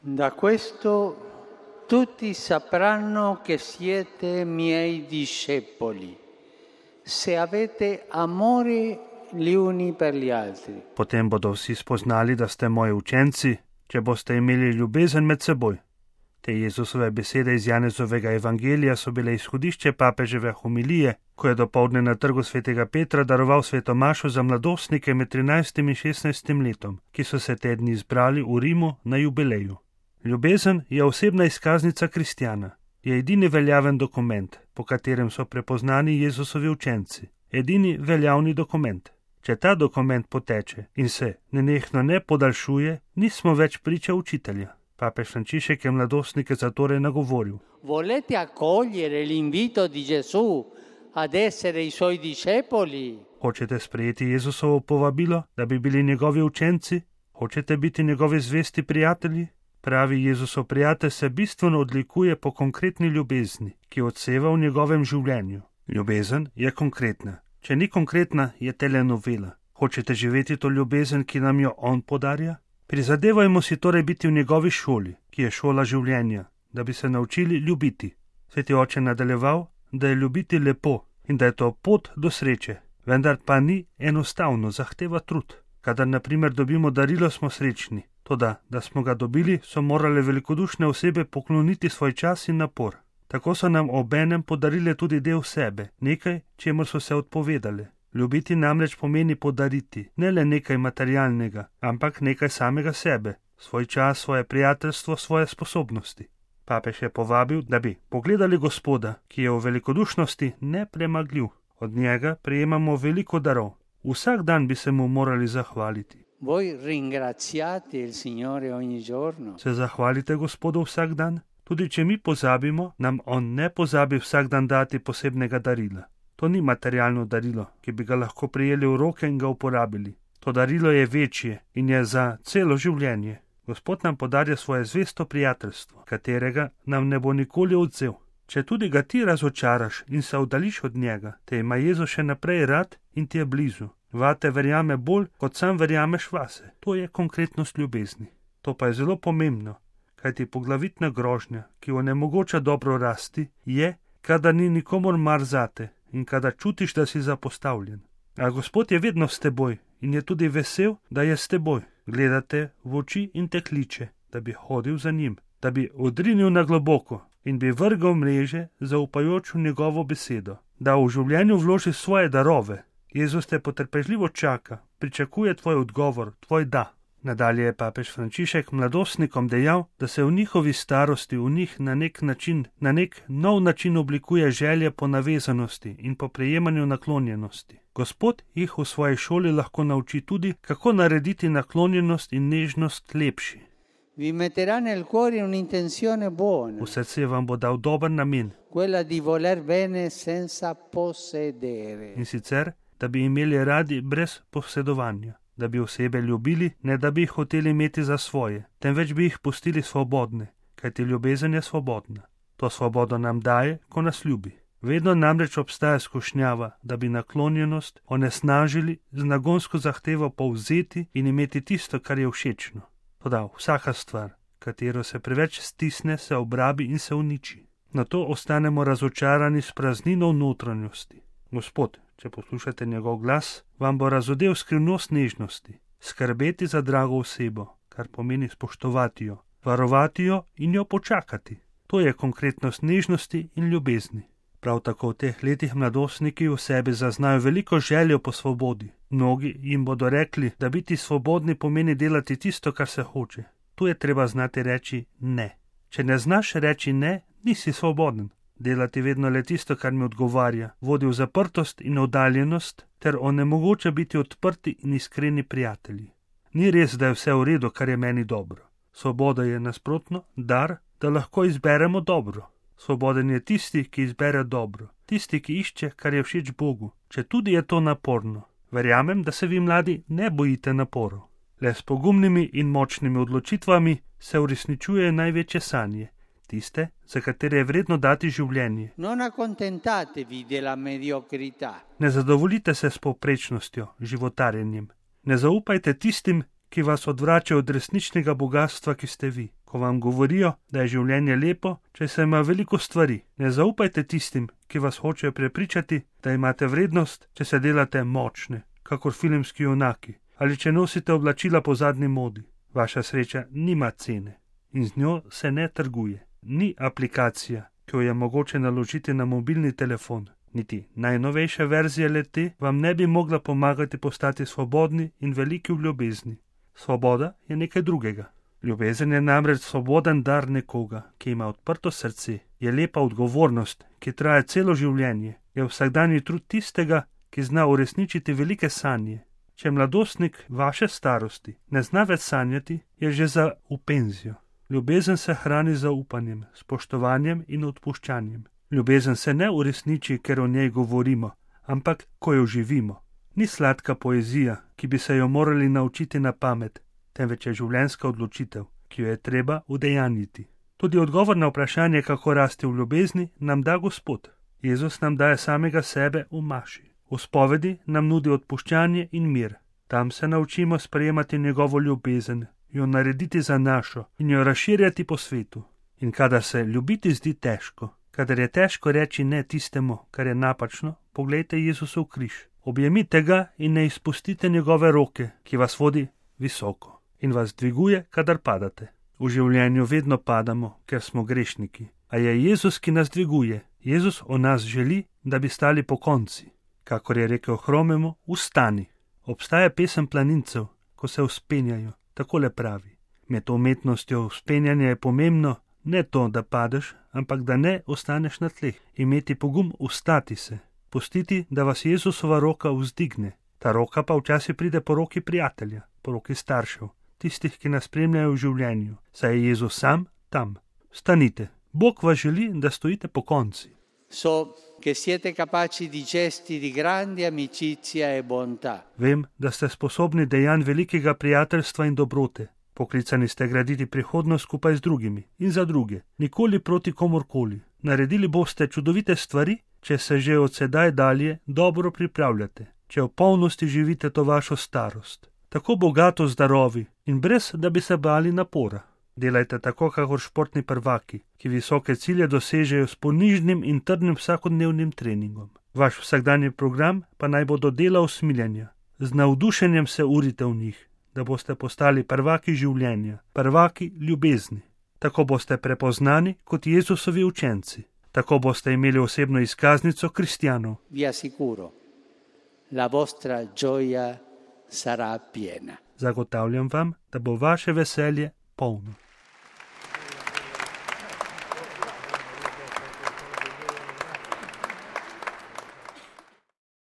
Da questo tutti sapranno che siete miei discepoli, se avete amore gli uni per gli altri. Potem bodo vsi spoznali, da ste moji učenci, če boste imeli ljubezen med seboj. Te Jezusove besede iz Janezovega evangelija so bile izhodišče papeževe homilije, ko je dopoldne na trgu svetega Petra daroval sveto mašo za mladostnike med 13. in 16. letom, ki so se te dni zbrali v Rimu na jubileju. Ljubezen je osebna izkaznica kristjana, je edini veljaven dokument, po katerem so prepoznani Jezusovi učenci, edini veljavni dokument. Če ta dokument poteče in se nenehno ne podaljšuje, nismo več priča učitelja. Papež Frančišek je mladostnike zatorej nagovoril. Volete accogliere l'invito di Gesù ad essere i suoi discepoli? Hočete sprejeti Jezusovo povabilo, da bi bili njegovi učenci? Hočete biti njegovi zvesti prijatelji? Pravi Jezusov prijatelj se bistveno odlikuje po konkretni ljubezni, ki odseva v njegovem življenju. Ljubezen je konkretna. Če ni konkretna, je telenovela. Hočete živeti to ljubezen, ki nam jo on podarja? Prizadevajmo si torej biti v njegovi šoli, ki je šola življenja, da bi se naučili ljubiti. Sveti oče nadaljeval, da je ljubiti lepo in da je to pot do sreče, vendar pa ni enostavno, zahteva trud. Kadar na primer dobimo darilo, smo srečni, toda, da smo ga dobili, so morale velikodušne osebe pokloniti svoj čas in napor. Tako so nam obenem podarile tudi del sebe, nekaj, čemur so se odpovedale. Ljubiti namreč pomeni podariti, ne le nekaj materialnega, ampak nekaj samega sebe, svoj čas, svoje prijateljstvo, svoje sposobnosti. Papež je povabil, da bi pogledali Gospoda, ki je v velikodušnosti nepremagljiv. Od njega prejemamo veliko darov. Vsak dan bi se mu morali zahvaliti. Voi ringraziate il Signore ogni giorno? Se zahvalite Gospodu vsak dan? Tudi če mi pozabimo, nam on ne pozabi vsak dan dati posebnega darila. To ni materialno darilo, ki bi ga lahko prijeli v roke in ga uporabili. To darilo je večje in je za celo življenje. Gospod nam podarja svoje zvesto prijateljstvo, katerega nam ne bo nikoli odvzel. Če tudi ga ti razočaraš in se oddališ od njega, te ima Jezus še naprej rad in ti je blizu. Vate verjame bolj, kot sam verjameš vase. To je konkretnost ljubezni. To pa je zelo pomembno, kajti poglavitna grožnja, ki onemogoča dobro rasti, je, kadar ni nikomur mar zate in kadar čutiš, da si zapostavljen. A Gospod je vedno s teboj in je tudi vesel, da je s teboj. Gledate v oči in te kliče, da bi hodil za njim, da bi odrinil na globoko in bi vrgal mreže, zaupajoč v njegovo besedo, da v življenju vloži svoje darove. Jezus te potrpežljivo čaka, pričakuje tvoj odgovor, tvoj da. Nadalje je papež Frančišek mladostnikom dejal, da se v njihovi starosti v njih na nek nov način oblikuje želje po navezanosti in po prejemanju naklonjenosti. Gospod jih v svoji šoli lahko nauči tudi, kako narediti naklonjenost in nežnost lepši. Vi metterà nel cuore un'intenzione buona. V srce vam bo dal dober namen. Quella di voler bene senza possedere. In sicer, da bi imeli radi brez posedovanja. Da bi osebe ljubili, ne da bi jih hoteli imeti za svoje, temveč bi jih pustili svobodne, kajti ljubezen je svobodna. To svobodo nam daje, ko nas ljubi. Vedno namreč obstaja skušnjava, da bi naklonjenost onesnažili z nagonsko zahtevo povzeti in imeti tisto, kar je všečno. Toda vsaka stvar, katero se preveč stisne, se obrabi in se uniči. Nato ostanemo razočarani s praznino v notranjosti. Gospod, če poslušate njegov glas, vam bo razodel skrivnost nežnosti, skrbeti za drago osebo, kar pomeni spoštovati jo, varovati jo in jo počakati. To je konkretnost nežnosti in ljubezni. Prav tako v teh letih mladostniki v sebi zaznajo veliko željo po svobodi. Mnogi jim bodo rekli, da biti svobodni pomeni delati tisto, kar se hoče. Tu je treba znati reči ne. Če ne znaš reči ne, nisi svoboden. Delati vedno le tisto, kar mi odgovarja, vodi v zaprtost in oddaljenost, ter onemogoča biti odprti in iskreni prijatelji. Ni res, da je vse v redu, kar je meni dobro. Svoboda je nasprotno dar, da lahko izberemo dobro. Svoboden je tisti, ki izbere dobro, tisti, ki išče, kar je všeč Bogu, če tudi je to naporno. Verjamem, da se vi mladi ne bojite naporov. Le s pogumnimi in močnimi odločitvami se uresničujejo največje sanje. Tiste, za katere je vredno dati življenje. Non accontentatevi della mediocrità. Ne zadovoljite se s povprečnostjo, životarjenjem. Ne zaupajte tistim, ki vas odvračajo od resničnega bogatstva, ki ste vi. ko vam govorijo, da je življenje lepo, če se ima veliko stvari. Ne zaupajte tistim, ki vas hočejo prepričati, da imate vrednost, če se delate močne, kakor filmski junaki, ali če nosite oblačila po zadnji modi. Vaša sreča nima cene in z njo se ne trguje. Ni aplikacija, ki jo je mogoče naložiti na mobilni telefon. Niti najnovejša verzija le-te vam ne bi mogla pomagati postati svobodni in veliki v ljubezni. Svoboda je nekaj drugega. Ljubezen je namreč svoboden dar nekoga, ki ima odprto srce, je lepa odgovornost, ki traja celo življenje, je vsakdanji trud tistega, ki zna uresničiti velike sanje. Če mladostnik vaše starosti ne zna več sanjati, je že za v penzijo. Ljubezen se hrani z zaupanjem, spoštovanjem in odpuščanjem. Ljubezen se ne uresniči, ker o njej govorimo, ampak ko jo živimo. Ni sladka poezija, ki bi se jo morali naučiti na pamet, temveč je življenjska odločitev, ki jo je treba udejanjiti. Tudi odgovor na vprašanje, kako rasti v ljubezni, nam da Gospod. Jezus nam daje samega sebe v maši. V spovedi nam nudi odpuščanje in mir. Tam se naučimo sprejemati njegovo ljubezen, jo narediti za našo in jo razširjati po svetu. In kadar se ljubiti zdi težko, kadar je težko reči ne tistemu, kar je napačno, poglejte Jezusov križ. Objemite ga in ne izpustite njegove roke, ki vas vodi visoko in vas dviguje, kadar padate. V življenju vedno padamo, ker smo grešniki. A je Jezus, ki nas dviguje. Jezus o nas želi, da bi stali pokonci. Kakor je rekel hromemu, vstani. Obstaja pesem planincev, ko se vzpenjajo. Takole pravi. Med umetnostjo vzpenjanja je pomembno ne to, da padeš, ampak da ne ostaneš na tleh. Imeti pogum vstati se. Pustiti, da vas Jezusova roka vzdigne. Ta roka pa včasih pride po roki prijatelja, po roki staršev, tistih, ki nas spremljajo v življenju. Saj je Jezus sam tam. Stanite. Bog vas želi, da stojite pokonci. So che siete capaci di gesti di grande amicizia e bontà. Vem, da ste sposobni dejanj velikega prijateljstva in dobrote. Poklicani ste graditi prihodnost skupaj z drugimi in za druge, nikoli proti komorkoli. Naredili boste čudovite stvari, če se že od sedaj dalje dobro pripravljate, če v polnosti živite to vašo starost. Tako bogato z darovi in brez, da bi se bali napora. Delajte tako, kakor športni prvaki, ki visoke cilje dosežejo s ponižnim in trdnim vsakodnevnim treningom. Vaš vsakdanji program pa naj bo do dela usmiljenja. Z navdušenjem se urite v njih, da boste postali prvaki življenja, prvaki ljubezni. Tako boste prepoznani kot Jezusovi učenci. Tako boste imeli osebno izkaznico kristjanov. Vi assicuro, la vostra gioia sarà piena. Zagotavljam vam, da bo vaše veselje polno.